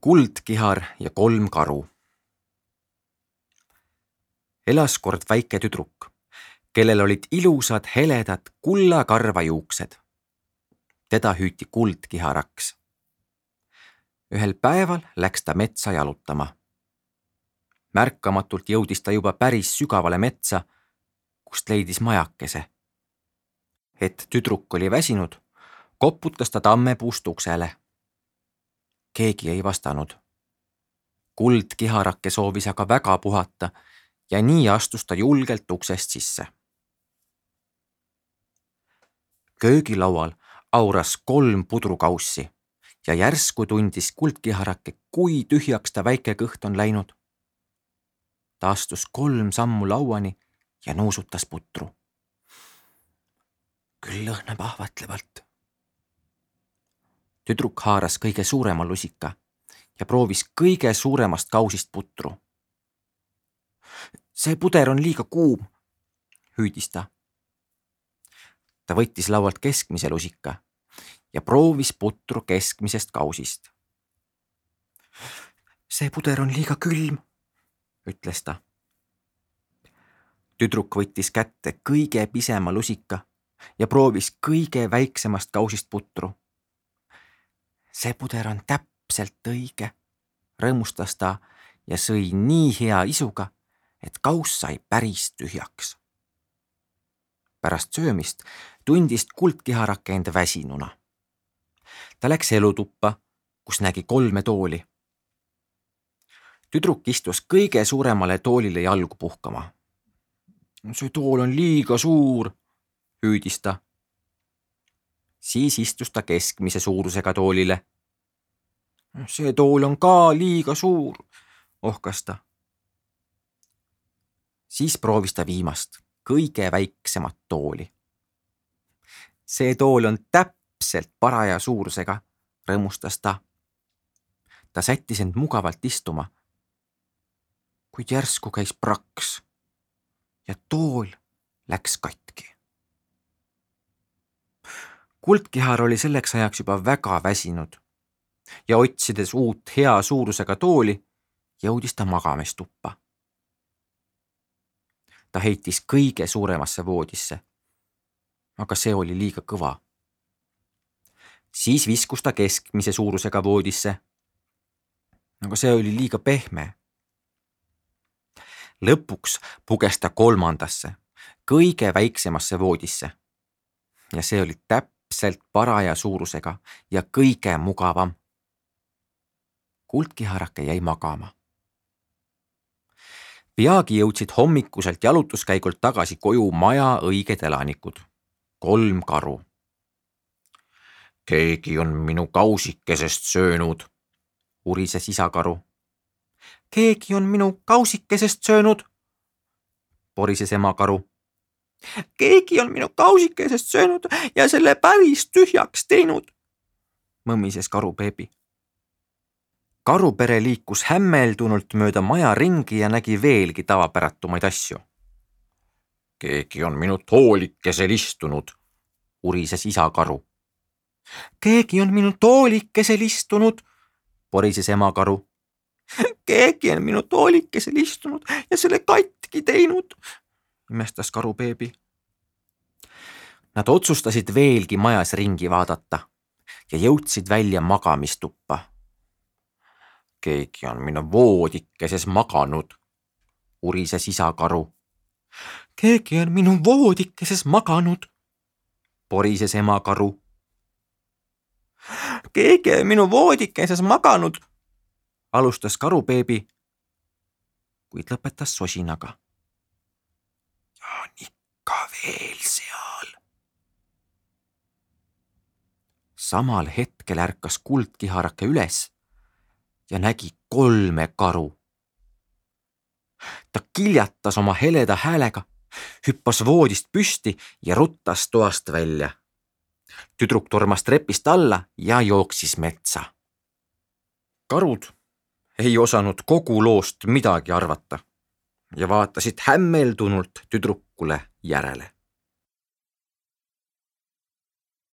Kuldkihar ja 3 karu. Elas kord väike tüdruk, kellel olid ilusad heledad kullakarva juuksed. Teda hüüti kuldkiharaks. Ühel päeval läks ta metsa jalutama. Märkamatult jõudis ta juba päris sügavale metsa, kust leidis majakese. Et tüdruk oli väsinud, koputas ta tammepuust uksele. Keegi ei vastanud. Kuldkiharake soovis aga väga puhata ja nii astus ta julgelt uksest sisse. Köögilaual auras 3 pudrukaussi ja järsku tundis kuldkiharake, kui tühjaks ta väike kõht on läinud. Ta astus 3 sammu lauani ja nuusutas putru. Küll lõhnab ahvatlevalt. Tüdruk haaras kõige suurema lusika ja proovis kõige suuremast kausist putru. See puder on liiga kuum, hüüdis ta. Ta võttis laualt keskmise lusika ja proovis putru keskmisest kausist. See puder on liiga külm, ütles ta. Tüdruk võttis kätte kõige pisema lusika ja proovis kõige väiksemast kausist putru. See puder on täpselt õige, rõõmustas ta ja sõi nii hea isuga, et kauss sai päris tühjaks. Pärast söömist tundis kuldkiharake end väsinuna. Ta läks elutuppa, kus nägi 3 tooli. Tüdruk istus kõige suuremale toolile jalgu puhkama. See tool on liiga suur, hüüdis ta. Siis istus ta keskmise suurusega toolile. See tool on ka liiga suur, ohkas ta. Siis proovis ta viimast, kõige väiksemat tooli. See tool on täpselt paraja suurusega, rõõmustas ta. Ta sättis end mugavalt istuma, kuid järsku käis praks ja tool läks katki. Kuldkihar oli selleks ajaks juba väga väsinud ja otsides uut hea suurusega tooli, jõudis ta magamistuppa. Ta heitis kõige suuremasse voodisse, aga see oli liiga kõva. Siis viskus ta keskmise suurusega voodisse, aga see oli liiga pehme. Lõpuks puges ta 3. kõige väiksemasse voodisse ja see oli täpselt paraja suurusega ja kõige mugavam. Kuldkiharake jäi magama. Peagi jõudsid hommikuselt jalutuskäigult tagasi koju maja õiged elanikud, 3 karu. Keegi on minu kausikesest söönud, urises isa karu. Keegi on minu kausikesest söönud, porises ema karu. Keegi on minu kausikesest söönud ja selle päris tühjaks teinud, mõmmises karu Peebi. Karupere liikus hämmeldunult mööda maja ringi ja nägi veelgi tavapäratumaid asju. Keegi on minu toolikesel istunud, urises isa karu. Keegi on minu toolikesel istunud, porises ema karu. Keegi on minu toolikesel istunud ja selle katki teinud, imestas karu Peebi. Nad otsustasid veelgi majas ringi vaadata ja jõudsid välja magamistuppa. Keegi on minu voodikeses maganud, urises isa karu. Keegi on minu voodikeses maganud, porises ema karu. Keegi on minu voodikeses maganud, alustas karu Peebi, kuid lõpetas sosinaga. Ja on ikka veel seal. Samal hetkel ärkas kuldkiharake üles ja nägi 3 karu. Ta kiljatas oma heleda häälega, hüppas voodist püsti ja ruttas toast välja. Tüdruk tormas trepist alla ja jooksis metsa. Karud ei osanud kogu loost midagi arvata ja vaatasid hämmeldunult tüdrukule järele.